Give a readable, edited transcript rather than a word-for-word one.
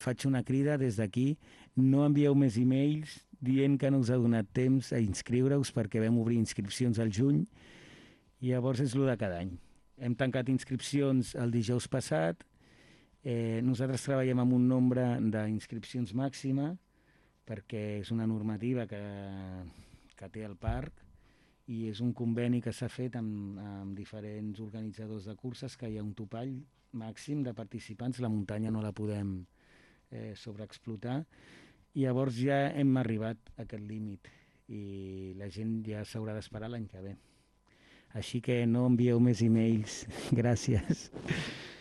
faig una crida des d'aquí, no envieu més e-mails dient que no us ha donat temps a inscriure-us perquè vam obrir inscripcions al juny i llavors és el de cada any. Hem tancat inscripcions el dijous passat, nosaltres treballem amb un nombre d'inscripcions màxima perquè és una normativa que té el parc i és un conveni que s'ha fet amb diferents organitzadors de curses que hi ha un topall màxim de participants, la muntanya no la podem sobreexplotar i llavors ja hem arribat a aquest límit i la gent ja s'haurà d'esperar l'any que ve. Així que no envieu més e-mails. Gràcies.